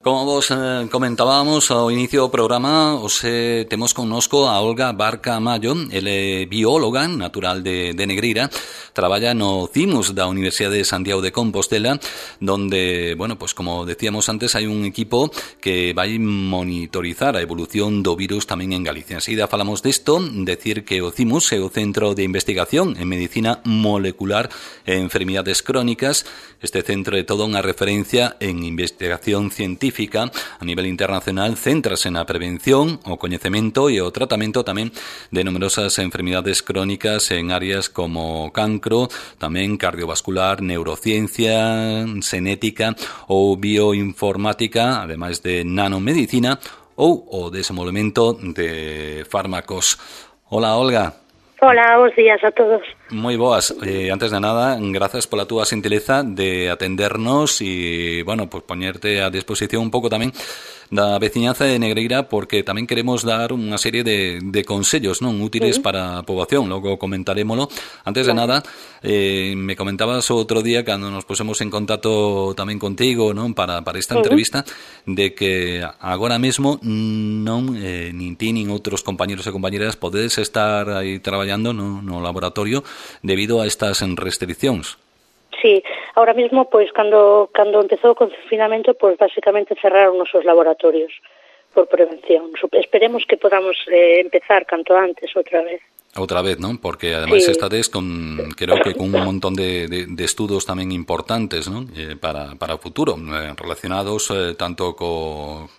Como vos comentábamos ao inicio do programa, hoxe temos connosco a Olga Barca Mayo. Ele é bióloga natural de Negreira, traballa no CIMUS da Universidade de Santiago de Compostela, donde, bueno, pues como decíamos antes, hai un equipo que vai monitorizar a evolución do virus tamén en Galicia. Enseguida falamos disto, decir que o CIMUS é o Centro de Investigación en Medicina Molecular e Enfermidades Crónicas. Este centro é toda unha referencia en investigación científica a nivel internacional, céntrase na prevención, o coñecemento e o tratamento tamén de numerosas enfermidades crónicas en áreas como cancro, tamén cardiovascular, neurociencia, xenética ou bioinformática, ademais de nanomedicina ou o desenvolvemento de fármacos. Hola, Olga. Hola, bons días a todos. Moi boas. Antes de nada, grazas pola túa xentileza de atendernos e, bueno, pues poñerte a disposición un pouco tamén da veciñanza de Negreira, porque tamén queremos dar unha serie de consellos non útiles para a poboación. Logo comentarémolo. Antes de nada, me comentabas outro día cando nos pusemos en contacto tamén contigo, non, para esta entrevista, de que agora mesmo non nin ti nin outros compañeros e compañeras podedes estar aí traballando no laboratorio debido a estas restriccións. Sí, ahora mismo, pois, cando empezou o confinamento, pois, basicamente cerraron os nosos laboratorios por prevención. Esperemos que podamos empezar canto antes outra vez. Outra vez, non? Porque ademais estades creo que con un montón de estudos tamén importantes, non? Para o futuro, relacionados tanto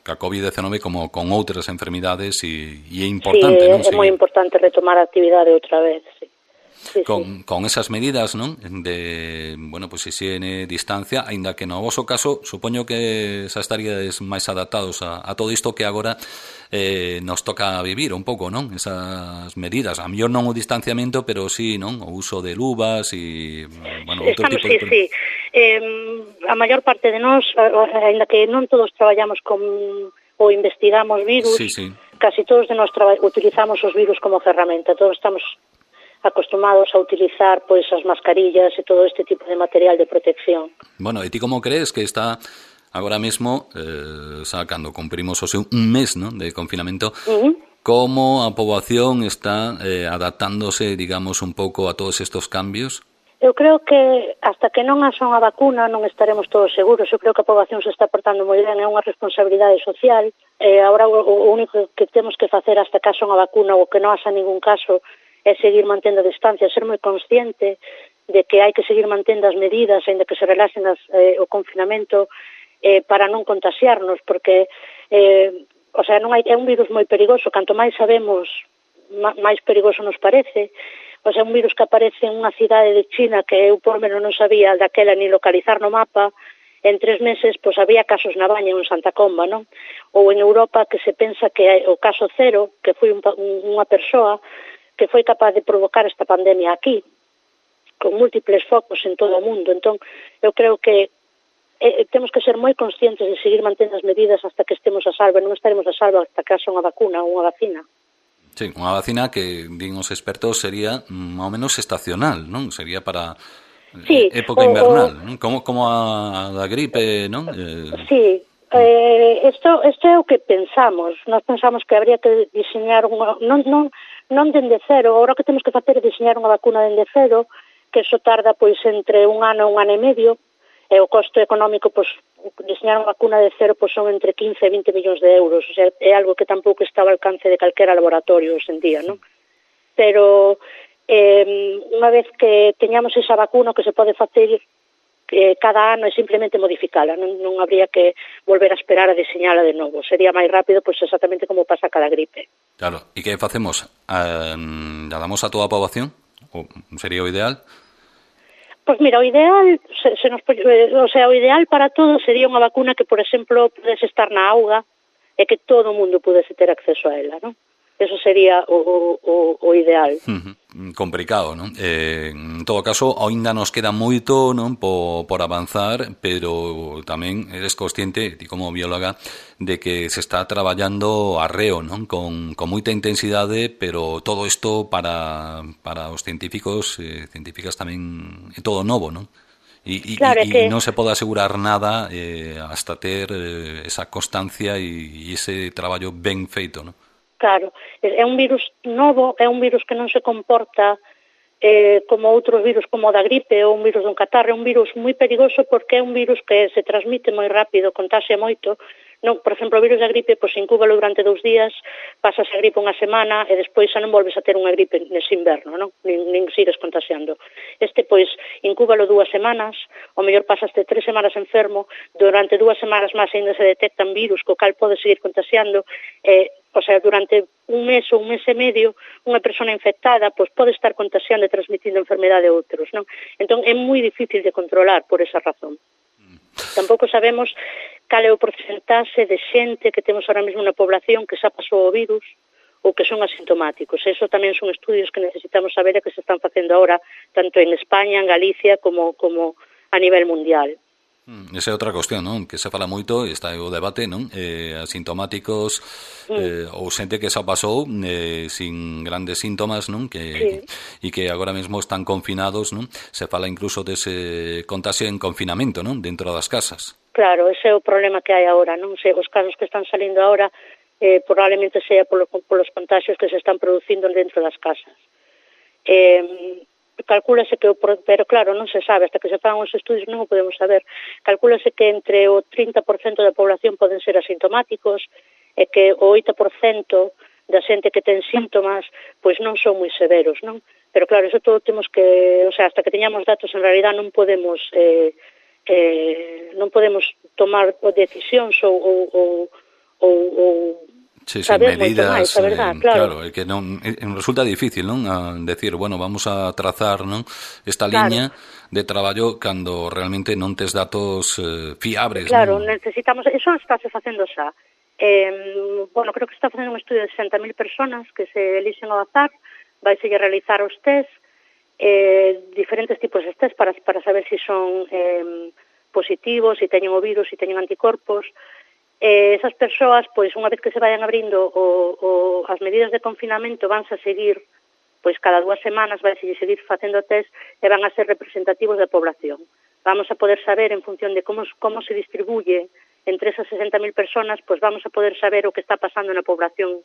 ca COVID-19 como con outras enfermidades e é importante, non? É moi importante retomar a actividade outra vez, sí. Con esas medidas, non? De, bueno, pues higiene, distancia, aínda que no voso caso, supoño que xa estaríades máis adaptados a todo isto que agora nos toca vivir un pouco, non? Esas medidas, a mellor non o distanciamento, pero sí, non? O uso de luvas e, bueno, outro tipo de... Sí. A maior parte de nós, aínda que non todos traballamos ou investigamos virus, casi todos de nós utilizamos os virus como ferramenta, todos estamos acostumados a utilizar pois as mascarillas e todo este tipo de material de protección. Bueno, e ti como crees que está agora mesmo, cando cumprimos un mes, ¿no?, de confinamento, como a poboación está adaptándose, digamos, un pouco a todos estos cambios? Eu creo que hasta que non haxa unha vacuna non estaremos todos seguros. Eu creo que a poboación se está portando moi ben, é unha responsabilidade social. Agora o único que temos que facer hasta que haxa unha vacuna ou que non haxa ningún caso é seguir mantendo a distancia, ser moi consciente de que hai que seguir mantendo as medidas, aínda que se relaxen o confinamento, para non contaxiarnos, porque non é un virus moi perigoso, canto máis sabemos, máis perigoso nos parece. É un virus que aparece en unha cidade de China que eu por menos non sabía daquela ni localizar no mapa. En 3 meses, pois había casos na Baña, en Santa Comba, non? Ou en Europa, que se pensa que o caso cero, que foi unha persoa que foi capaz de provocar esta pandemia aquí, con múltiples focos en todo o mundo. Entón, eu creo que temos que ser moi conscientes de seguir mantendo as medidas hasta que estemos a salvo. Non estaremos a salvo hasta que haxa unha vacuna ou unha vacina. Sí, unha vacina que, din os expertos, sería máis ou menos estacional, non? Sería para época invernal, non? Como a da gripe, non? Sí, isto é o que pensamos. Nós pensamos que habría que diseñar unha... Non dende cero, agora o que temos que facer é diseñar unha vacuna dende cero, que iso tarda pois entre un ano e medio, e o costo económico, pois, diseñar unha vacuna de cero pois son entre 15 e 20 millóns de euros, o sea, é algo que tampouco está ao alcance de calquera laboratorio hoxe en día, non? Pero unha vez que teñamos esa vacuna, que se pode facer cada ano é simplemente modificala, non habría que volver a esperar a diseñala de novo, sería máis rápido, pois exactamente como pasa cada gripe. Claro, e que facemos? ¿La damos a toda a poboación? ¿O sería o ideal? Pois mira, o ideal, o ideal para todos sería unha vacuna que, por exemplo, pudese estar na auga e que todo o mundo pudese ter acceso a ela, non? Eso sería o ideal. Complicado, non? En todo caso, aínda nos queda moito, non, por avanzar, pero tamén eres consciente, ti como bióloga, de que se está traballando arreo, non? Con moita intensidade, pero todo isto para os científicos e científicas tamén é todo novo, non? Claro, e non se pode asegurar nada hasta ter esa constancia e ese traballo ben feito, non? Claro, é un virus novo, é un virus que non se comporta como outros virus como o da gripe ou un virus dun catarro, é un virus moi perigoso porque é un virus que se transmite moi rápido, contaxia moito. Non, por exemplo, o virus da gripe, pois incúbalo durante 2 días, pasas a gripe unha semana e despois xa non volves a ter unha gripe nese inverno, non? Nin sigues contaxiando. Este, pois, incúbalo 2 semanas, o mellor pasaste 3 semanas enfermo, durante 2 semanas máis ainda se detectan virus co cal podes seguir contaxiando, o sea, durante un mes ou un mes e medio, unha persona infectada pois pode estar contaxiando e transmitindo enfermedade a outros, non? Entón, é moi difícil de controlar por esa razón. Tampouco sabemos cal é o porcentaxe de xente que temos ahora mesmo na población que xa pasou o virus ou que son asintomáticos. Eso tamén son estudios que necesitamos saber e que se están facendo ahora, tanto en España, en Galicia, como a nivel mundial. Esa é outra cuestión, non? Que se fala moito, está o debate, non? Asintomáticos ou xente que xa pasou sin grandes síntomas, non? E que agora mesmo están confinados, non? Se fala incluso dese contagio en confinamento, non? Dentro das casas. Claro, ese é o problema que hai agora, non? Os casos que están salindo agora probablemente sea polos contagios que se están producindo dentro das casas. Calcúlase que, pero claro, non se sabe, hasta que se fagan os estudios non o podemos saber. Calcúlase que entre o 30% da población poden ser asintomáticos e que o 8% da xente que ten síntomas pois non son moi severos, non? Pero claro, eso todo temos que, o sea, hasta que teñamos datos en realidad non podemos tomar decisións ou saber medidas, moito máis, a verdad, claro. É que non resulta difícil, non? A decir, bueno, vamos a trazar, non? Esta liña de traballo cando realmente non tes datos fiables, claro, non? Necesitamos, eso estáse facendo xa. Bueno, creo que está facendo un estudio de 60.000 personas que se elixen ao azar, vai se realizar os test, diferentes tipos de test para saber se son positivos, se teñen o virus, se teñen anticorpos. Esas persoas, pois, unha vez que se vayan abrindo as medidas de confinamento, vanse a seguir, pois, cada 2 semanas vai seguir facendo test e van a ser representativos da población. Vamos a poder saber, en función de como se distribuye entre esas 60.000 personas, pois vamos a poder saber o que está pasando na población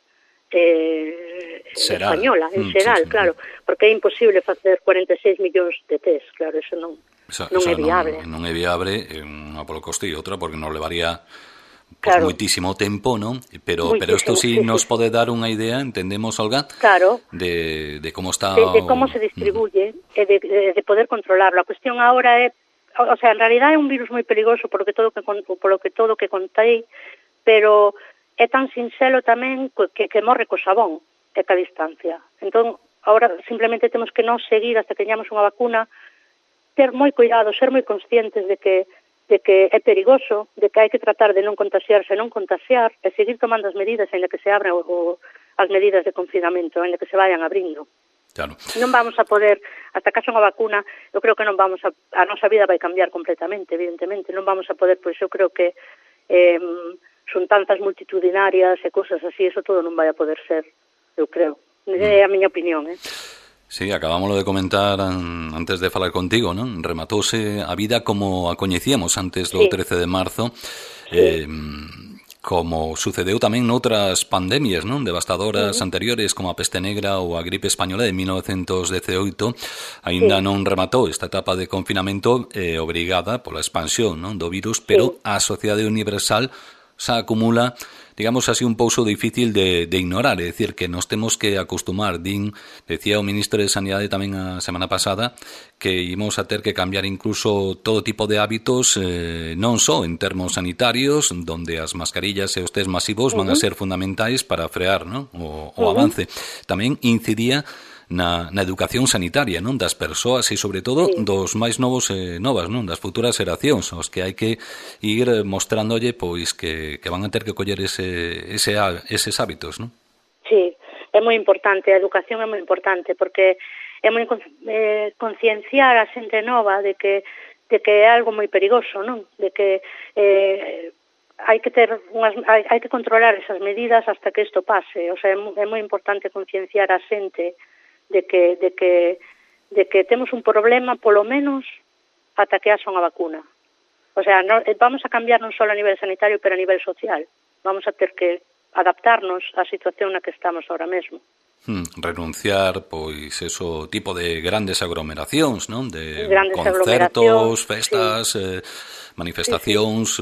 española, en xeral, claro, porque é imposible facer 46 millóns de test, claro, eso non é viable. Non é viable, unha polo coste e outra porque non levaría pues moitísimo tempo, non? Pero isto sí nos pode dar unha idea, entendemos, Olga, de como está de como se distribuye e de poder controlarlo. A cuestión agora é, o sea, en realidad é un virus moi perigoso polo que todo que contei, pero é tan sinxelo tamén que morre co xabón e ca distancia. Entón, agora simplemente temos que non seguir hasta que teñamos unha vacuna, ter moi cuidado, ser moi conscientes de que é perigoso, de que hai que tratar de non contaxiarse e non contaxiar, e seguir tomando as medidas en que se abran as medidas de confinamento, en que se vayan abrindo. Claro. Non vamos a poder, hasta que haxa unha vacuna, eu creo que non vamos a nosa vida vai cambiar completamente, evidentemente, non vamos a poder, pois eu creo que xuntanzas multitudinarias e cousas así, eso todo non vai a poder ser, eu creo. É a miña opinión, Sí, acabámoslo de comentar antes de falar contigo, non? Rematouse a vida como a coñecíamos antes do 13 de marzo, como sucedeu tamén noutras pandemias, non? Devastadoras anteriores, como a peste negra ou a gripe española de 1918, aínda non rematou esta etapa de confinamento obrigada pola expansión, non? Do virus, pero a sociedade universal xa acumula, digamos así, un pouso difícil de ignorar, é dicir, que nos temos que acostumar. Decía o ministro de Sanidade tamén a semana pasada que ímos a ter que cambiar incluso todo tipo de hábitos, non só en termos sanitarios, donde as mascarillas e os test masivos van a ser fundamentais para frear, non? O avance. Tamén incidía na educación sanitaria, non, das persoas e sobre todo dos máis novos e novas, non, das futuras xeracións, aos que hai que ir mostrándolle pois que van a ter que coller eses hábitos, non? Sí, é moi importante, a educación é moi importante porque é moi concienciar a xente nova de que é algo moi perigoso, non? De que hai que controlar esas medidas hasta que isto pase, o sea, é moi importante concienciar a xente de que temos un problema, polo menos ata que haxa unha vacuna. O sea, vamos a cambiar non só a nivel sanitario, pero a nivel social. Vamos a ter que adaptarnos á situación na que estamos ahora mesmo. Renunciar, pois, eso tipo de grandes aglomeracións, non? De grandes concertos, festas, manifestacións,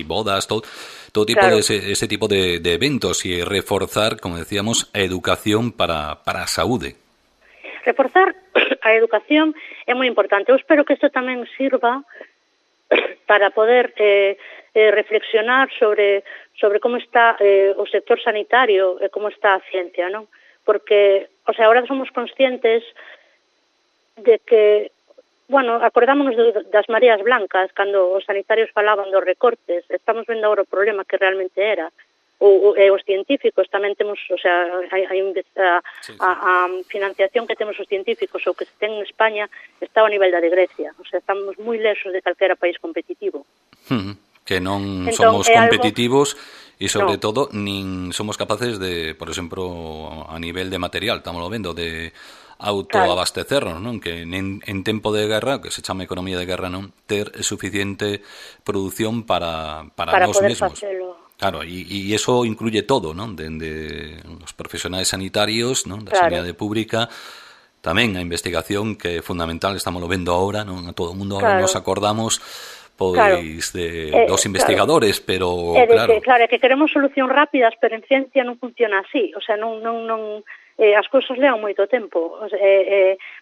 bodas, todo tipo de ese tipo de eventos e reforzar, como decíamos, a educación para a saúde. Reforzar a educación é moi importante. Eu espero que isto tamén sirva para poder reflexionar sobre como está o sector sanitario e como está a ciencia, non? Porque, o sea, ahora somos conscientes de que, bueno, acordámonos das mareas blancas cando os sanitarios falaban dos recortes, estamos vendo agora o problema que realmente era. Os científicos tamén temos, o sea, a financiación que temos os científicos ou que se ten en España está ao nivel da de Grecia, o sea, estamos moi lexos de calquera país competitivo. Que non somos competitivos e, sobre todo, nin somos capaces de, por exemplo, a nivel de material, estamos vendo, de autoabastecernos, non? Que en tempo de guerra, que se chama economía de guerra, non? Ter suficiente produción para nós mesmos. Facelo. Claro, e eso incluye todo, non? Dende os profesionais sanitarios, non? Da sanidade pública, tamén a investigación, que é fundamental, estamos vendo ahora, non? A todo o mundo ahora nos acordamos pois dos investigadores, pero claro, é que queremos solucións rápidas, pero en ciencia non funciona así, o sea, non as cousas levan moito tempo, o sea,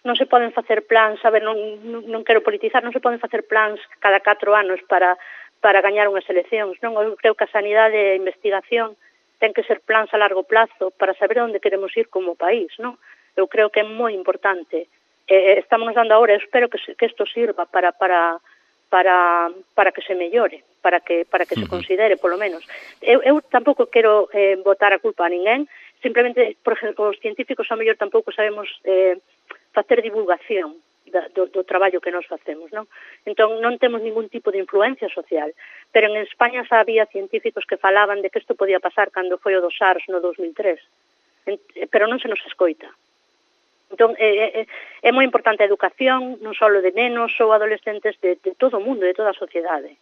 non se poden facer plans, non quero politizar, non se poden facer plans cada 4 anos para gañar unhas eleccións, non? Eu creo que a sanidade e a investigación ten que ser plans a largo plazo para saber onde queremos ir como país, non? Eu creo que é moi importante. Estamos dando agora, eu espero que isto sirva para que se mellore, para que se considere, polo menos. Eu tampouco quero botar a culpa a ninguén, simplemente, por exemplo, os científicos ao mellor tampouco sabemos facer divulgación do traballo que nós facemos, non? Entón, non temos ningún tipo de influencia social, pero en España xa había científicos que falaban de que isto podía pasar cando foi o do SARS no 2003, pero non se nos escoita. Entón, é moi importante a educación, non só de nenos ou adolescentes, de todo o mundo, de toda a sociedade.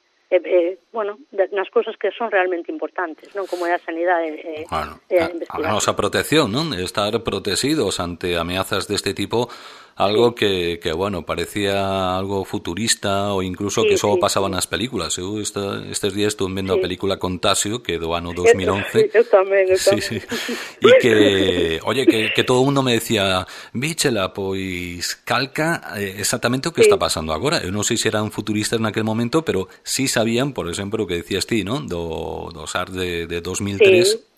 Bueno, nas cousas que son realmente importantes, non? Como é a sanidade e a investigación. A nosa protección, non? Estar protegidos ante ameazas deste tipo, algo que bueno, parecía algo futurista ou incluso que só pasaba nas películas. Eu estes días estuve vendo a película Contagio, que é do ano 2011. Eu tamén. Sí. E que, oye, que todo o mundo me decía, víchela, pois calca exactamente o que está pasando agora. Eu non sei se eran futuristas naquele momento, pero sí sabían, por exemplo, o que decías ti, non? Do SARS de 2003.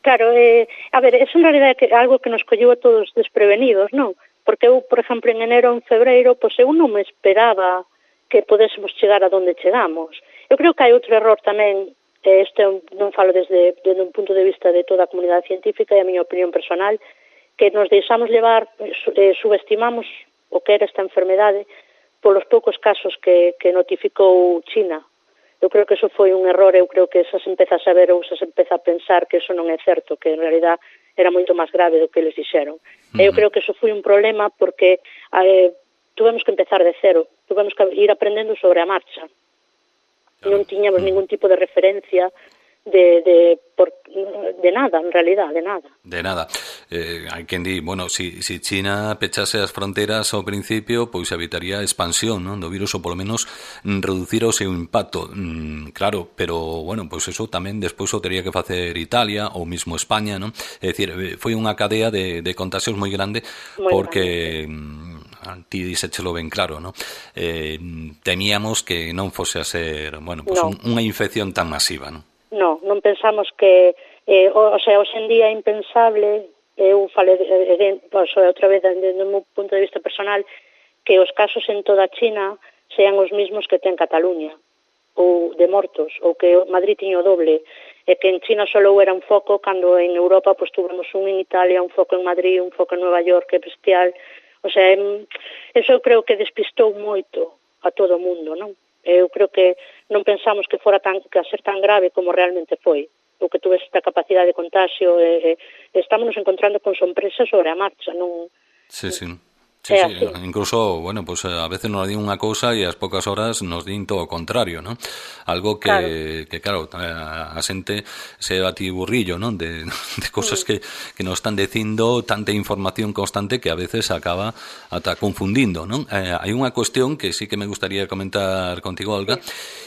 Claro, a ver, é en realidade algo que nos colleu a todos desprevenidos, non? Porque eu, por exemplo, en enero, en febreiro, pois eu non me esperaba que podésemos chegar a donde chegamos. Eu creo que hai outro error tamén, este non falo desde un punto de vista de toda a comunidade científica e a miña opinión personal, que nos deixamos levar, subestimamos o que era esta enfermedade polos poucos casos que notificou China. Eu creo que eso foi un error, eu creo que xa se empeza a saber ou xa se empeza a pensar que eso non é certo, que en realidad era moito máis grave do que eles dixeron. Eu creo que eso foi un problema porque tuvemos que empezar de cero, tuvemos que ir aprendendo sobre a marcha. Non tiñamos ningún tipo de referencia de nada, en realidad, de nada. De nada. Hai quen di, bueno, si China pechase as fronteras ao principio, pois evitaría a expansión, non, do virus, ou polo menos reducir o seu impacto. Claro, pero, bueno, pois eso tamén despois o tería que facer Italia ou mismo España, non? É dicir, foi unha cadea de contagios moi grande, porque ti dixéchelo ben claro, non? Temíamos que non fose a ser, bueno, pois unha infección tan masiva, non? Non pensamos que, o sea, hoxe en día é impensable, eu falei outra vez desde o meu punto de vista personal, que os casos en toda China sean os mismos que ten Cataluña, ou de mortos, ou que Madrid tiña o doble, e que en China só era un foco, cando en Europa pues tuvemos un en Italia, un foco en Madrid, un foco en Nueva York, que é bestial. O sea, eso eu creo que despistou moito a todo o mundo, non? Eu creo que non pensamos que fora a ser tan grave como realmente foi, ou que tuve esta capacidade de contagio, estamos nos encontrando con sorpresas sobre a marcha, non? Sí. Sí, sí, incluso, bueno, pues a veces nos din unha cousa e ás poucas horas nos din todo o contrario, ¿no? Algo que claro, a xente se batiburrillo, ¿no? De cosas que nos están dicindo, tanta información constante que a veces acaba ata confundindo, ¿no? Hai unha cuestión que sí que me gustaría comentar contigo, Olga,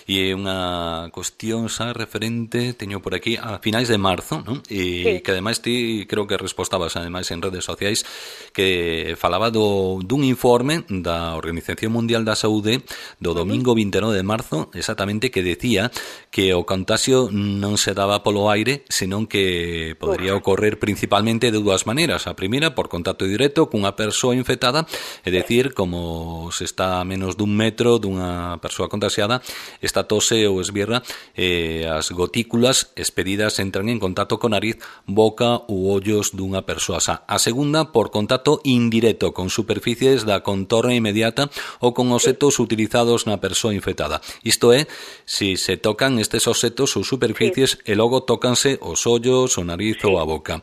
e é unha cuestión xa referente, teño por aquí, a finais de marzo, ¿no? E que ademais ti creo que respostabas ademais en redes sociais que falaba dun informe da Organización Mundial da Saúde do domingo 29 de marzo, exactamente, que decía que o contagio non se daba polo aire, senón que podería ocorrer principalmente de dúas maneiras. A primeira, por contacto directo cunha persoa infectada, é dicir, como se está a menos dun metro dunha persoa contagiada, esta tose ou esbierra, as gotículas expedidas entran en contacto con nariz, boca ou ollos dunha persoa xa. A segunda, por contacto indirecto con superficies da contorna inmediata ou con obxectos utilizados na persoa infectada. Isto é, se se tocan estes obxectos ou superficies e logo tócanse os ollos, o nariz ou a boca.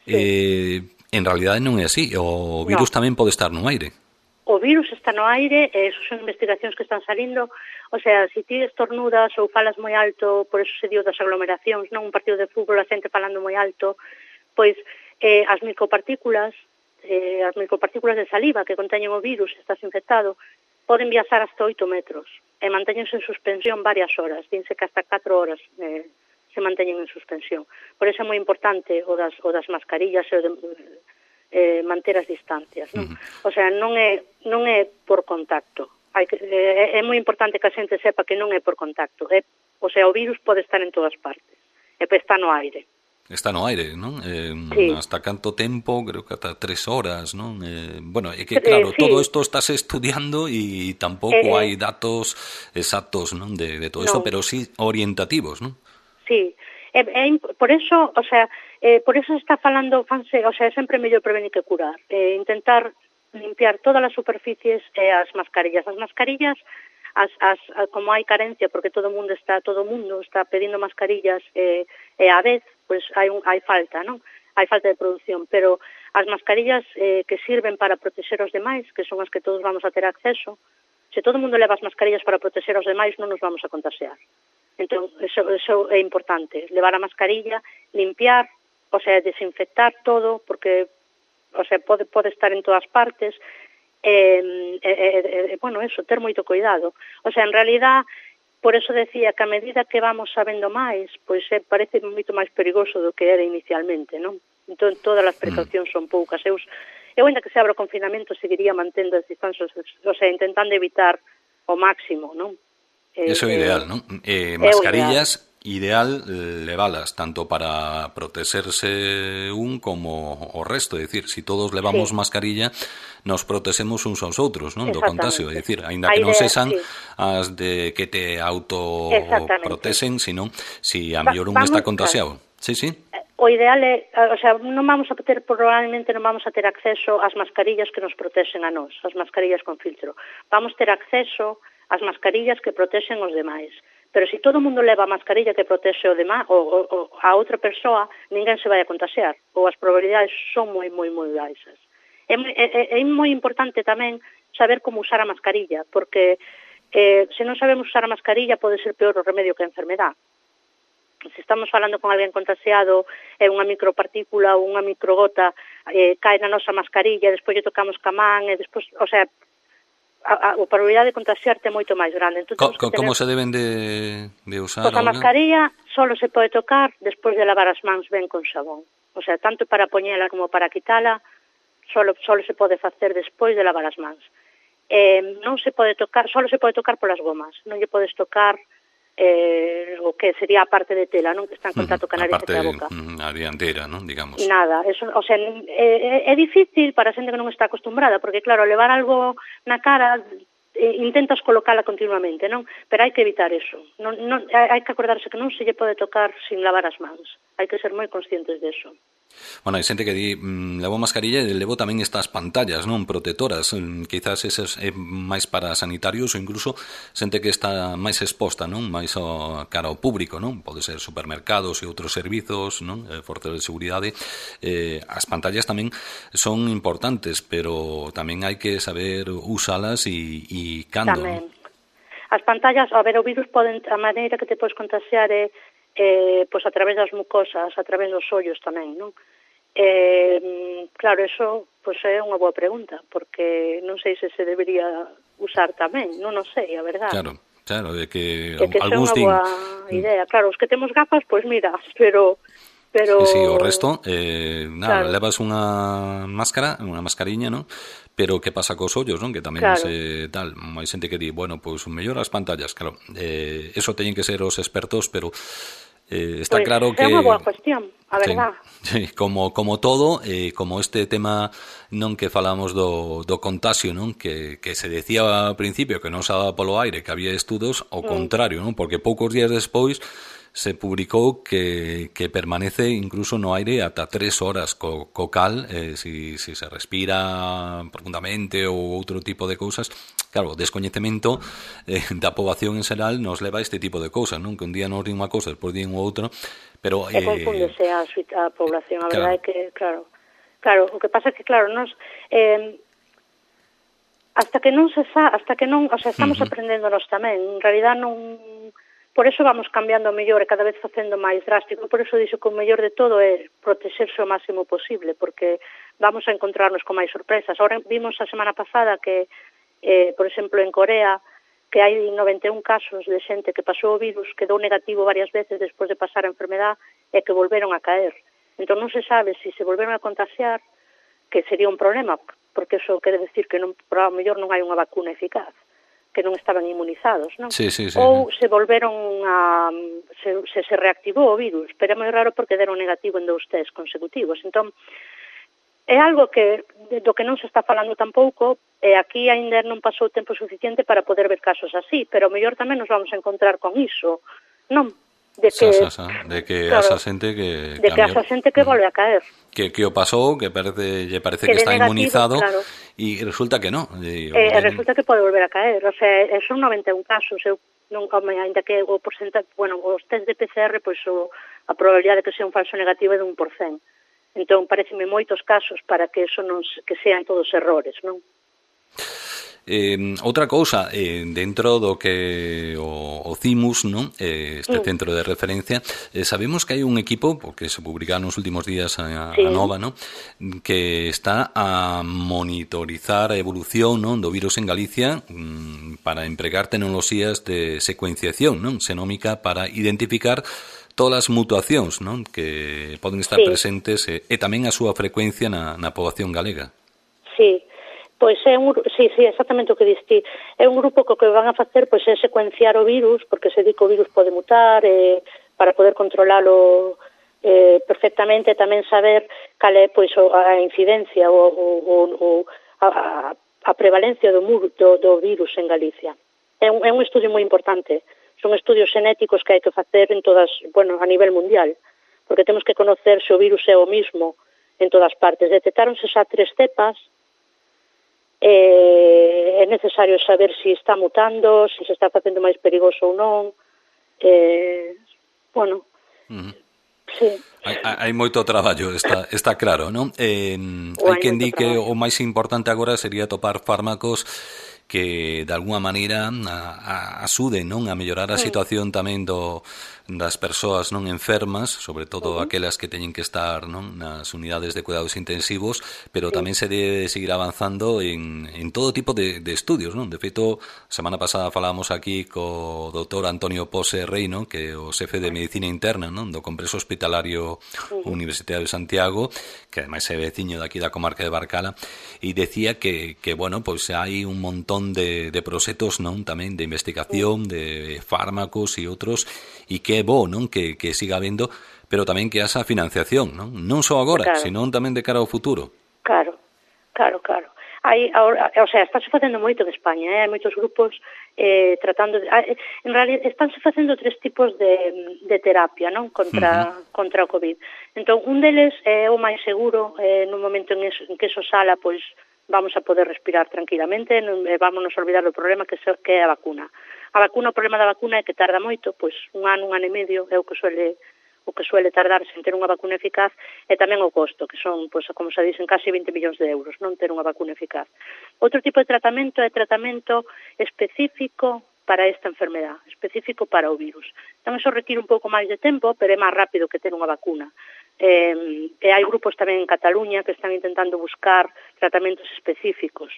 En realidade non é así, o virus tamén pode estar no aire. O virus está no aire, eso son investigacións que están salindo, o sea, se ti estornudas ou falas moi alto, por eso se dio das aglomeracións, non un partido de fútbol, a xente falando moi alto, pois as micropartículas de saliva que conteñen o virus, estás infectado, poden viaxar hasta 8 metros e mantéñense en suspensión varias horas, dinse que hasta 4 horas se manteñen en suspensión. Por eso é moi importante o das mascarillas e o de manter as distancias, non? O sea, non é por contacto. É moi importante que a xente sepa que non é por contacto. O sea, o virus pode estar en todas partes. E está no aire. Está no aire, non? Hasta canto tempo, creo que ata 3 horas, non? Bueno, é que claro, todo isto estáse estudiando e tampouco hai datos exactos, non, de todo isto, pero sí orientativos, non? Sí, por eso, o sea, por eso se está falando, o sea, é sempre mellor prevenir que curar. Intentar limpiar todas as superficies e as mascarillas. As mascarillas, como hai carencia, porque todo o mundo está pedindo mascarillas e a vez, pois hai falta, non? Hai falta de produción, pero as mascarillas que sirven para proteger os demais, que son as que todos vamos a ter acceso, se todo o mundo leva as mascarillas para proteger os demais, non nos vamos a contagiar. Entón, eso é importante, levar a mascarilla, limpiar, o sea, desinfectar todo, porque, o sea, pode estar en todas partes, bueno, eso, ter moito cuidado. O sea, en realidad, por eso decía que a medida que vamos sabendo máis, pois parece moito máis perigoso do que era inicialmente, non? Entón, todas as precaucións son poucas. Eu, ainda que se abra o confinamento, seguiría mantendo as distancias, o sea, intentando evitar o máximo, non? Eso é ideal, non? Mascarillas, ideal levalas tanto para protegerse un como o resto, é dicir, se todos levamos mascarilla, nos protexemos uns aos outros, non? Do contagio, é dicir, aínda que non sexan as de que te autoprotexen, senón se a mellor un está contagiado. Sí, sí. O ideal é, o sea, probablemente non vamos a ter acceso ás mascarillas que nos protexen a nós, as mascarillas con filtro. Vamos ter acceso ás mascarillas que protexen os demais. Pero se todo o mundo leva a mascarilla que protexe o demais, ou a outra persoa, ninguén se vai a contagiar, ou as probabilidades son moi, moi, moi baixas. É moi importante tamén saber como usar a mascarilla, porque se non sabemos usar a mascarilla pode ser peor o remedio que a enfermedad. Se estamos falando con alguén contagiado e unha micropartícula ou unha microgota cae na nosa mascarilla, despois lle tocamos ca man, e despois, o sea, a probabilidade de contagiarte é moito máis grande. Como se deben de usar? Pois a mascarilla solo se pode tocar despois de lavar as mans ben con xabón. O sea, tanto para poñela como para quitala, solo se pode facer despois de lavar as mans. Non se pode tocar, solo se pode tocar polas gomas. Non lle podes tocar o que sería a parte de tela, non, que está en contacto con a nariz e a boca. A dianteira, non, digamos. Nada, eso, o sea, é difícil para a xente que non está acostumbrada, porque claro, levar algo na cara intentas colocala continuamente, non? Pero hai que evitar eso. Hai que acordarse que non se lle pode tocar sin lavar as mans. Hai que ser moi conscientes de eso. Bueno, hai xente que di levo mascarilla e levo tamén estas pantallas, non, protetoras, quizás esas é máis para sanitarios ou incluso xente que está máis exposta, non, máis cara ao público, non, pode ser supermercados e outros servizos, non, forzas de seguridade. As pantallas tamén son importantes, pero tamén hai que saber usalas e cando, Tamén. non? As pantallas, a ver, o virus a maneira que te podes contagiar é pois a través das mucosas, a través dos ollos tamén, non? Claro, eso pois é unha boa pregunta, porque non sei se debería usar tamén, non o sei, a verdade. Claro, de que algúns din... É unha boa idea, claro, os que temos gafas, pois mira, pero... Sí, o resto, nada, claro. Levas unha máscara, unha mascariña, non? Pero que pasa cos ollos, non? Que tamén claro. Tal, hai xente que di, bueno, pois mellor as pantallas, claro, eso teñen que ser os expertos, pero está pues, claro que... É unha boa cuestión, a verdad. Sí, como todo, como este tema non que falamos do contagio, non? Que se decía ao principio que non se daba polo aire, que había estudos, ao contrario, non? Porque poucos días despois se publicou que permanece incluso no aire ata 3 horas co cal, si se respira profundamente ou outro tipo de cousas. Claro, o descoñecemento da poboación en xeral nos leva a este tipo de cousas, non? Que un día nos din unha cousa, despois din outra, pero... confúndese a población, a verdade é que, claro, o que pasa é que, claro, nos... hasta que non, o sea, estamos aprendéndonos tamén, en realidad non... Por eso vamos cambiando o mellor e cada vez facendo máis drástico. Por eso dixo que o mellor de todo é protexerse o máximo posible, porque vamos a encontrarnos con máis sorpresas. Ahora vimos a semana pasada que, por exemplo, en Corea, que hai 91 casos de xente que pasou o virus, que dou negativo varias veces despois de pasar a enfermedad e que volveron a caer. Entón non se sabe se volveron a contagiar, que sería un problema, porque eso quere decir que por ao mellor non hai unha vacuna eficaz, que non estaban inmunizados, non? Sí. Ou se volveron a... se reactivou o virus, pero é moi raro porque deron negativo en 2 test consecutivos. Entón, é algo do que non se está falando tampouco, e aquí ainda non pasou tempo suficiente para poder ver casos así, pero o mellor tamén nos vamos a encontrar con iso, non? De que asa xente que asa xente que volve a caer. Que o pasou, que lle parece que está negativo, inmunizado, claro. E resulta que non. Resulta que pode volver a caer, o sea, son 91 casos, ainda que o porcentaje, bueno, os test de PCR, pois a probabilidade de que sea un falso negativo é de 1%. Entón, pareceme moitos casos para que eso non que sean todos errores, non? Outra cousa, dentro do que o CIMUS, non? Este centro de referencia, sabemos que hai un equipo, porque se publicaron nos últimos días a nova, non? Que está a monitorizar a evolución, non? Do virus en Galicia para empregar tecnoloxías de secuenciación, non? Xenómica para identificar todas as mutuacións, non? Que poden estar presentes e tamén a súa frecuencia na poboación galega. Sí. Pois é exactamente o que diste. É un grupo que o que van a facer pois é secuenciar o virus, porque se di que o virus pode mutar, para poder controlalo perfectamente, tamén saber cal é pois a incidencia ou a prevalencia do virus en Galicia. É un estudio moi importante. Son estudios xenéticos que hai que facer en todas, a nivel mundial, porque temos que conocer se o virus é o mismo en todas partes. Detectáronse xa 3 cepas. É necesario saber se está mutando, se está facendo máis perigoso ou non. Sí. Hai moito traballo, está claro, non? Hai quen di que o máis importante agora sería topar fármacos que de alguna maneira axuden, non, a mellorar a situación tamén das persoas non enfermas, sobre todo aquelas que teñen que estar, non, nas unidades de cuidados intensivos, pero tamén se debe seguir avanzando en todo tipo de estudios, non? De feito, semana pasada falábamos aquí co doutor Antonio Pose Reino, que é o xefe de Medicina Interna, non, do Complexo Hospitalario Universitario de Santiago, que ademais é veciño daqui da comarca de Barcala, e decía que bueno, pois hai un montón de proxectos, non, tamén de investigación, de fármacos e outros, e que é bo, non, que siga habendo, pero tamén que haxa financiación, non só agora, senón tamén de cara ao futuro. Claro. Estáse facendo moito en España, hai moitos grupos tratando en realidad estánse facendo 3 tipos de terapia, non? Contra o COVID. Entón, un deles é o máis seguro, no momento en que eso sala, pois vamos a poder respirar tranquilamente, vámonos a olvidar do problema que é a vacuna. A vacuna, o problema da vacuna é que tarda moito, pois un ano e medio é o que suele tardar sen ter unha vacuna eficaz, e tamén o costo, que son, pois, como se dicen, casi 20 millóns de euros, non ter unha vacuna eficaz. Outro tipo de tratamento é tratamento específico para esta enfermedad, específico para o virus. Entón, eso require un pouco máis de tempo, pero é máis rápido que ter unha vacuna. E hai grupos tamén en Cataluña que están intentando buscar tratamentos específicos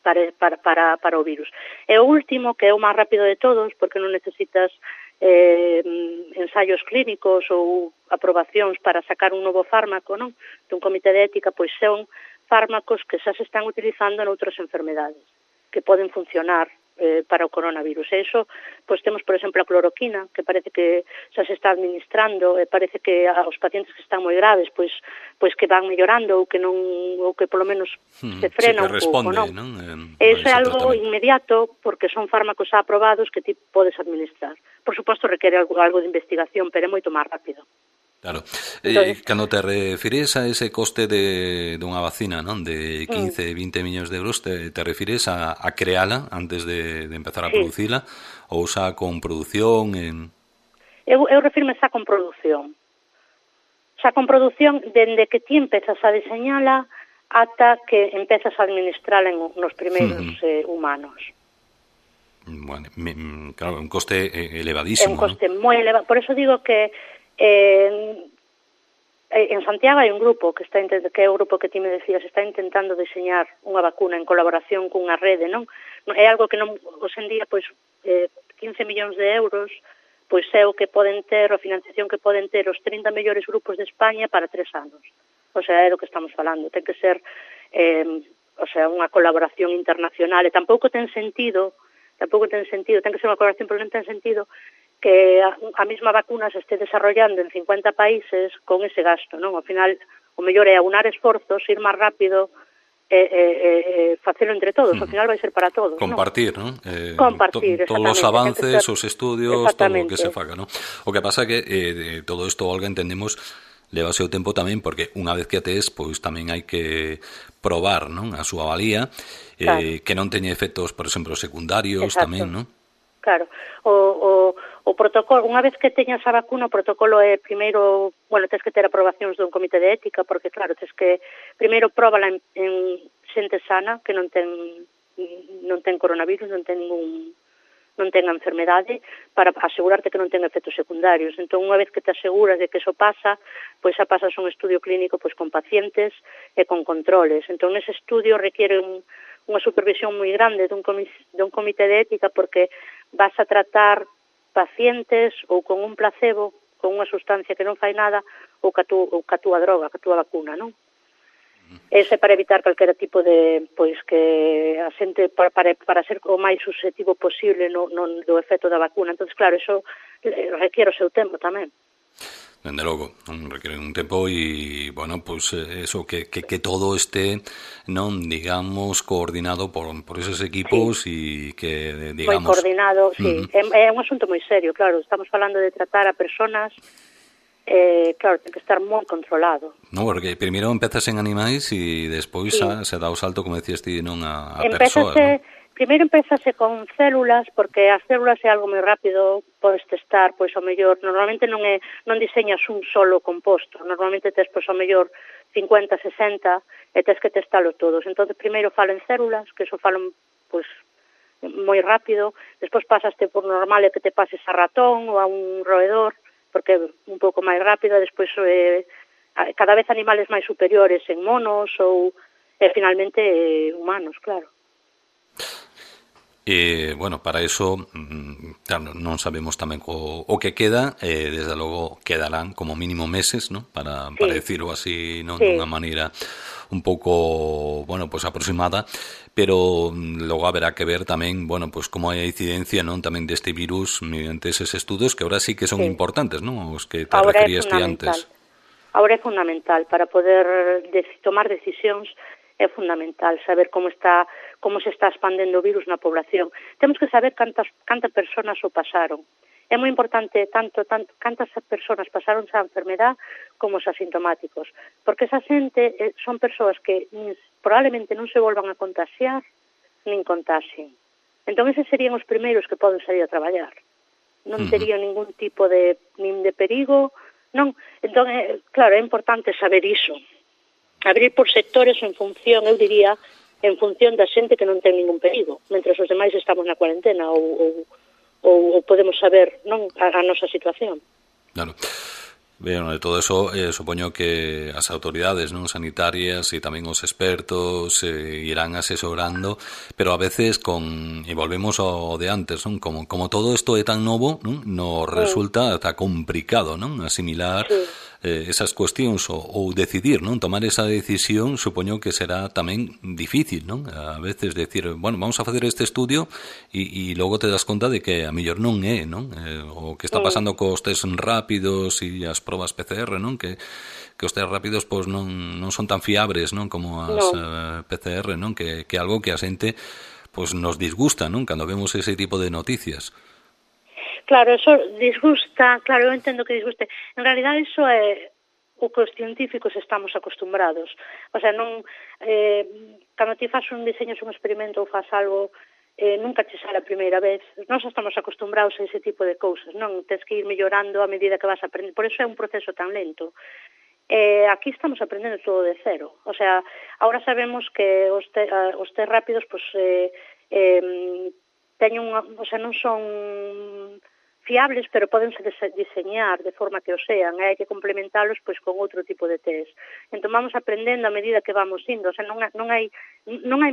para o virus. E o último, que é o máis rápido de todos, porque non necesitas ensaios clínicos ou aprobacións para sacar un novo fármaco, non? Dun comité de ética, pois son fármacos que xa se están utilizando en outras enfermedades, que poden funcionar para o coronavirus. E iso, pois temos, por exemplo, a cloroquina, que parece que xa se está administrando, e parece que aos pacientes que están moi graves, pois que van mellorando, ou que polo menos se frena un pouco, non? Iso é algo inmediato, porque son fármacos xa aprobados que ti podes administrar. Por suposto, requere algo de investigación, pero é moito máis rápido. Claro. Cando te refires a ese coste dunha vacina, non, de 15, 20 millóns de euros, te refires a creala antes de empezar a producila, ou xa con produción? Eu refirme xa con produción. Xa con produción, dende que ti empezas a diseñala ata que empezas a administrala nos primeiros humanos. Bueno, claro, un coste elevadísimo. É un coste moi elevado. Por eso digo que en Santiago hai un grupo que é o grupo que ti me decías, está intentando diseñar unha vacuna en colaboración cunha rede, non? É algo que non, hoxe en día, pois 15 millóns de euros, pois é o que poden ter, a financiación que poden ter os 30 mellores grupos de España para 3 anos. O sea, é do que estamos falando. Ten que ser unha colaboración internacional, e tampouco ten sentido, ten que ser unha colaboración, pero non ten sentido que a mesma vacuna se este desarrollando en 50 países con ese gasto, non? Ao final, o mellor é aunar esforzos, ir máis rápido, facelo entre todos, ao final vai ser para todos. Compartir, non? Compartir, todos os avances, os estudios, todo o que se faga, non? O que pasa é que todo isto, Olga, entendemos, leva o seu tempo tamén, porque unha vez que a tes, pois tamén hai que probar, non? A súa valía, que non teña efectos, por exemplo, secundarios. Exacto. Tamén, non? Claro, o protocolo, unha vez que teñas a vacuna, o protocolo é primeiro, tens que ter aprobacións dun comité de ética, porque claro, tens que primeiro próbala en xente sana, que non ten coronavirus, non ten a enfermedade, para asegurarte que non ten efectos secundarios. Entón, unha vez que te aseguras de que eso pasa, pois xa pasas un estudio clínico pois con pacientes e con controles. Entón, ese estudio requiere unha supervisión moi grande dun comité de ética, porque vas a tratar pacientes ou con un placebo, con unha sustancia que non fai nada, ou ca túa droga, ca túa vacuna, non? Ese para evitar calquera tipo de, pois, que a xente, para ser o máis susceptivo posible do efecto da vacuna. Entón, claro, eso requiere o seu tempo tamén. Dende logo, requiere un tempo e, pois eso, que todo este, non, digamos, coordinado por esos equipos e que, digamos... Moi coordinado, sí. É un asunto moi serio, claro. Estamos falando de tratar a personas, claro, ten que estar moi controlado. No, porque primeiro empezas en animais e despois se dá o salto, como decías ti, non, a persoas, non? Primeiro empezase con células, porque as células é algo moi rápido, podes testar, pois ao mellor, normalmente non diseñas un solo composto, normalmente tes, pois ao mellor 50, 60, e tes que testalo todos. Entón, primeiro falo en células, que eso falo, pois, moi rápido, despois pasaste por normal e que te pases a ratón ou a un roedor, porque é un pouco máis rápido, despois cada vez animales máis superiores en monos ou finalmente humanos, claro. Para eso, claro, non sabemos tamén o que queda, desde logo quedarán como mínimo meses, ¿no? Para decirlo así, non, dunha maneira un pouco, pois aproximada, pero logo haberá que ver tamén, pois como hai a incidencia, non, tamén deste virus mediante eses estudos que ahora sí que son importantes, non? Os que te referías ti antes. Ahora é fundamental para poder tomar decisións é fundamental saber como se está expandendo o virus na población. Temos que saber cantas persoas o pasaron. É moi importante tanto cantas persoas pasaron esa enfermedad como os asintomáticos, porque esa xente son persoas que probablemente non se volvan a contaxiar nin contaxien. Entón, eses serían os primeiros que poden sair a traballar. Non tería ningún tipo nin de perigo, non. Entón, claro, é importante saber iso. Abrir por sectores en función, eu diría, en función da xente que non ten ningún perigo, mentre os demais estamos na cuarentena ou podemos saber non a nosa situación. Claro. Bueno, de todo eso, supoño que as autoridades non sanitarias e tamén os expertos irán asesorando, pero a veces e volvemos ao de antes, non? Como todo isto é tan novo, non? Nos resulta ata complicado, non? Asimilar esas cuestións ou decidir, non? Tomar esa decisión, supoño que será tamén difícil, non? A veces decir, bueno, vamos a facer este estudio e logo te das conta de que a mellor non é, non? O que está pasando cos test rápidos e as probas PCR, non? Que os test rápidos pois non son tan fiables, non? Como as PCR, non? Que algo que a xente pois nos disgusta, non? Cando vemos ese tipo de noticias. Claro, eso disgusta, claro, eu entendo que disguste. En realidad, iso é o que os científicos estamos acostumbrados. O sea, non, cando ti faz un diseño, un experimento ou faz algo, nunca che sale a primeira vez. Nós estamos acostumbrados a ese tipo de cousas, non? Tens que ir mellorando a medida que vas aprendendo. Por eso é un proceso tan lento. Aquí estamos aprendendo todo de cero. O sea, ahora sabemos que os test rápidos, pues, teñen o sea, non son fiables, pero podense diseñar de forma que o sean, e hai que complementalos pois con outro tipo de test. Entón vamos aprendendo a medida que vamos indo, o sea, non hai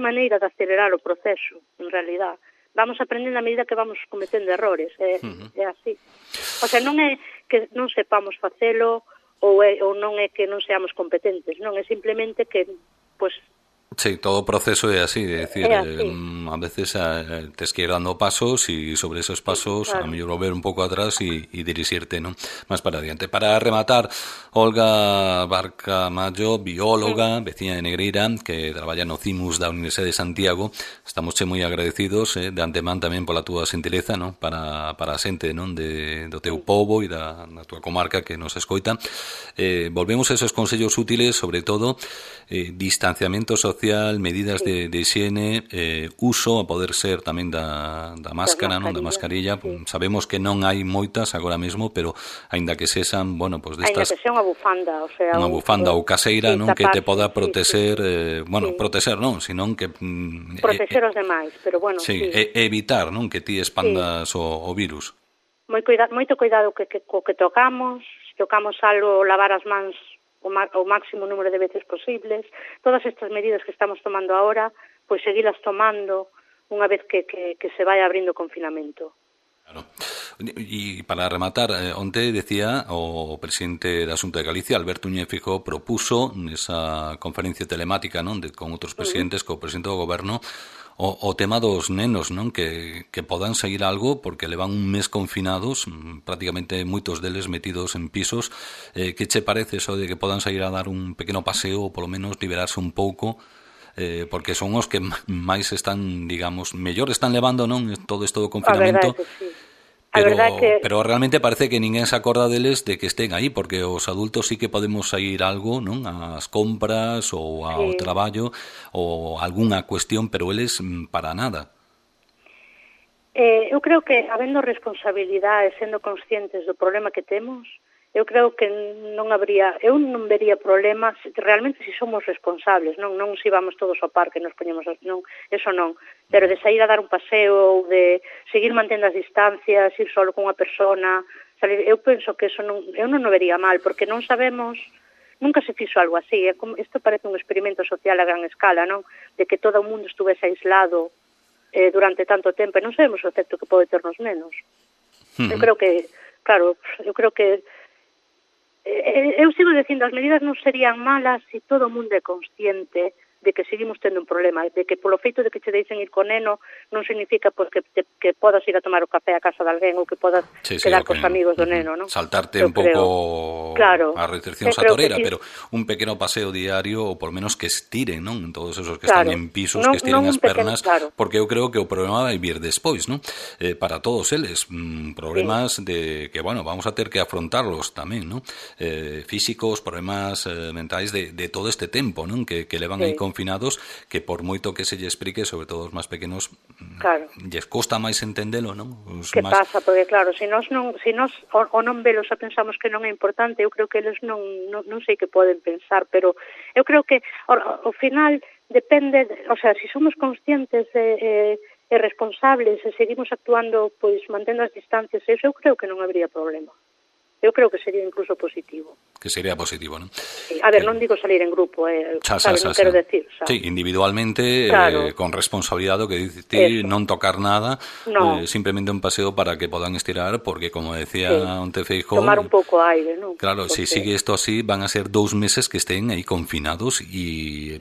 maneira de acelerar o proceso, en realidad. Vamos aprendendo a medida que vamos cometendo errores, é así. O sea, non é que non sepamos facelo ou non é que non seamos competentes, non, é simplemente que, pois, sí, todo o proceso é así, é dicir, a veces tes que ir dando pasos e sobre esos pasos a mellor volver un pouco atrás e dirixirte, non? Máis para adiante. Para rematar, Olga Barca Mallo, bióloga, veciña de Negreira, que traballa no CIMUS da Universidade de Santiago, estamos moi agradecidos de antemán tamén pola túa xentileza, non? Para a xente, non? Do teu pobo e da túa comarca que nos escoita. Volvemos a esos consellos útiles, sobre todo, distanciamento social, medidas de higiene, uso a poder ser tamén da máscara, non, da mascarilla. Sabemos que non hai moitas agora mesmo, pero aínda que sexan, bueno, pois destas, aínda que sea unha bufanda, o sea, unha bufanda ou caseira, non, que te poda proteger, proteger non, senón que proteger os demais, pero bueno, evitar, non, que ti expandas o virus. Moito cuidado co que tocamos algo, lavar as mans o máximo número de veces posibles. Todas estas medidas que estamos tomando ahora, pois seguilas tomando unha vez que se vai abrindo o confinamento. Claro. E para rematar, onte decía o presidente da Xunta de Galicia, Alberto Núñez Feijóo, propuso nesa conferencia telemática, non, con outros presidentes, co presidente do goberno, o tema dos nenos, non, que podan seguir algo porque levan un mes confinados, prácticamente moitos deles metidos en pisos. Que che parece eso de que podan sair a dar un pequeno paseo ou polo menos liberarse un pouco, porque son os que máis están, digamos, mellor están levando, non, todo isto do confinamento? Pero realmente parece que ninguén se acorda deles de que estén aí, porque os adultos sí que podemos sair algo, non, ás compras ou ao traballo ou algunha cuestión, pero eles para nada. Eu creo que, habendo responsabilidade, sendo conscientes do problema que temos, eu creo que eu non vería problemas realmente se somos responsables, non se vamos todos ao parque, nos poñemos, non, eso non, pero de sair a dar un paseo ou de seguir mantendo as distancias, ir solo con unha persona, salir, eu penso que eso eu non o vería mal, porque non sabemos, nunca se fixo algo así, isto parece un experimento social a gran escala, non, de que todo o mundo estuvese aislado durante tanto tempo, e non sabemos o efecto que pode ter nos nenos. Eu creo que, claro, eu sigo dicindo, as medidas non serían malas se todo o mundo é consciente de que seguimos tendo un problema, de que polo feito de que che deixen ir co neno non significa pois, que podas ir a tomar o café a casa de alguén ou que podas quedar cos amigos do neno, non? Saltarte un pouco a restricción satorera, pero un pequeno paseo diario, ou por menos que estiren, non? Todos esos que están en pisos, que estiren as pernas, porque eu creo que o problema vai vir despois, non? Para todos eles, problemas de que, bueno, vamos a ter que afrontarlos tamén, non? Físicos, problemas mentais de todo este tempo, non? Que levan aí confinados, que por moito que se lle explique, sobre todo os máis pequenos, lles costa máis entendelo, non? Que pasa? Porque claro, se nós non velos a pensamos que non é importante, eu creo que eles non sei que poden pensar, pero eu creo que ao final depende, o sea, se somos conscientes e responsables e seguimos actuando, pois mantendo as distancias, eu creo que non habría problema. Eu creo que sería incluso positivo. Que sería positivo, non? Sí. A ver, non digo salir en grupo, non quero decir. Sí, individualmente, con responsabilidade, o que dices ti, non tocar nada, simplemente un paseo para que podan estirar, porque, como decía onte Feijóo... Tomar un pouco aire, non? Claro, se sigue isto así, van a ser 2 meses que estén aí confinados e,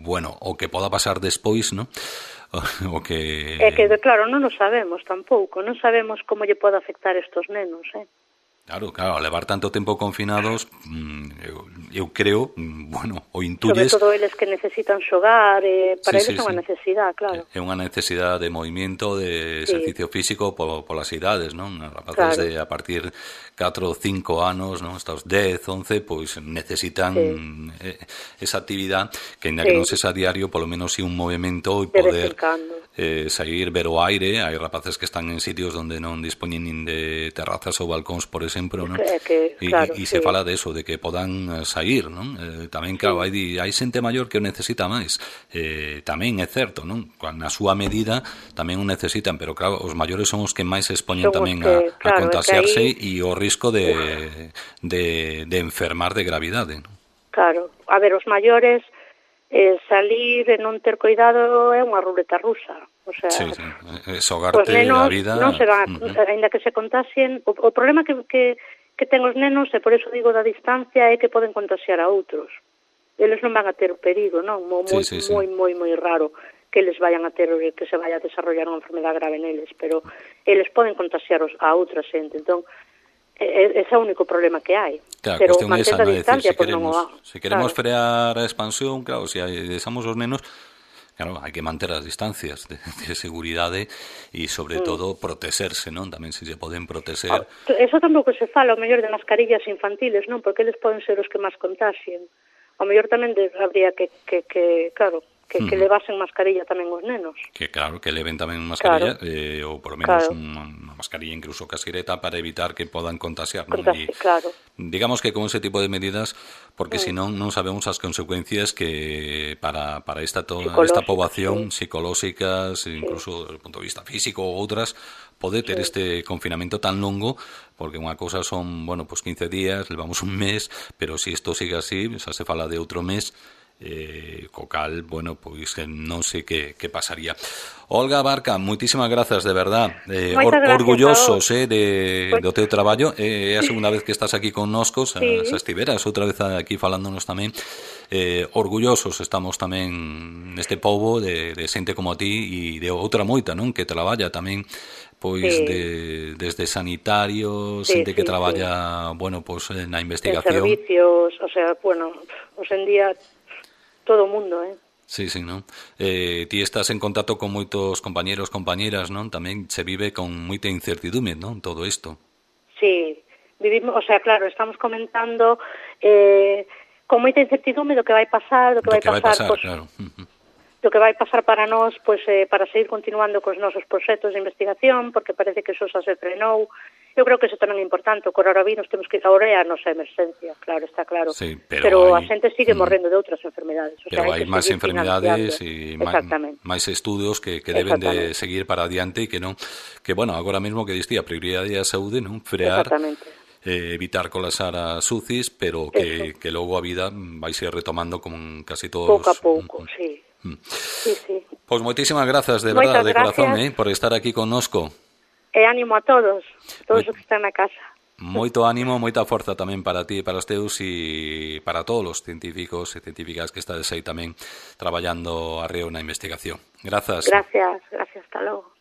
bueno, o que poda pasar despois, non? O que... É que, claro, non o sabemos tampouco, non sabemos como lle pode afectar estos nenos, Claro, levar tanto tempo confinados, eu creo, bueno, o intuyes... Sobre todo eles que necesitan xogar, para eles é unha necesidade, claro. É unha necesidade de movimento, de exercicio físico polas idades, non? Rapaces de a partir 4 ou 5 anos, non? Hasta os 10, 11, pois necesitan esa actividade que, ainda que non sexa diario, polo menos si un movimento e poder sair, ver o aire. Hai rapaces que están en sitios onde non dispoñen nin de terrazas ou balcóns, por exemplo, non? E se fala de eso, de que podan sair, non? Tamén, claro, hai xente maior que o necesita máis. Tamén é certo, non? Na súa medida tamén o necesitan, pero claro, os maiores son os que máis se expoñen tamén a contagiarse e o risco de enfermar de gravidade, non? Claro, a ver, os maiores salir e non ter cuidado é unha ruleta rusa. O sea, sogarte a vida... Non se van, ainda que se contaxien. O problema que ten os nenos, e por eso digo da distancia, é que poden contaxiar a outros. Eles non van a ter perigo, non? Moi raro que eles vayan a ter, que se vaya a desarrollar unha enfermedade grave neles, pero eles poden contaxiar a outra xente. Entón, ese é o único problema que hai. Claro, pero mantendo a distancia, decir, se queremos frear a expansión, claro, se deixamos os nenos, claro, hai que manter as distancias de seguridade e, sobre todo, protegerse, non? Tamén se poden proteger. Eso tampouco se fala, o mellor, de mascarillas infantiles, non? Porque eles poden ser os que máis contaxien. O mellor tamén habría que levasen mascarilla tamén os nenos. Que claro, que leven tamén mascarilla, ou por lo menos unha mascarilla incluso casquireta para evitar que podan contaxiar, non? Digamos que con ese tipo de medidas, porque senón non sabemos as consecuencias que para esta poboación psicolóxicas, incluso desde o punto de vista físico ou outras, pode ter este confinamento tan longo, porque unha cousa son, bueno, pues 15 días, levamos un mes, pero se isto sigue así, xa se fala de outro mes, co cal, bueno, pois non sei que pasaría. Olga Barca, moitísimas grazas, de verdad, orgullosos do teu traballo. É a segunda vez que estás aquí connosco, xa estiveras outra vez aquí falándonos tamén. Orgullosos estamos tamén neste pobo de xente como a ti e de outra moita, non? Que traballa tamén pois desde sanitarios, xente que traballa, bueno, pois na investigación, en servicios, o sea, bueno, hoxe en día todo o mundo, Sí, non? Ti estás en contacto con moitos compañeros, compañeras, non? Tamén se vive con moita incertidume, non? Todo isto. Sí, vivimos, o sea, claro, estamos comentando con moita incertidume do que vai pasar, do que vai pasar, claro. Do que vai pasar para nós, pois, para seguir continuando cos nosos proxectos de investigación, porque parece que eso xa se frenou. Eu creo que eso tamén é importante. O coronavirus temos que ahora é a nosa emerxencia, claro, está claro. Sí, pero a xente sigue morrendo de outras enfermedades. O pero hai máis enfermedades e máis estudos que deben de seguir para adiante e que non, que bueno, agora mesmo que distía a prioridade é a saúde, non? Frear, evitar colapsar as UCIs, pero que logo a vida vai ser retomando como casi todos. Pouco a pouco, sí. Pois moitísimas grazas, de verdade, de corazón, por estar aquí connosco. E ánimo a todos os que están na casa. Moito ánimo, moita forza tamén para ti e para os teus e para todos os científicos e científicas que estades aí tamén traballando arreo na investigación. Grazas. Gracias, hasta logo.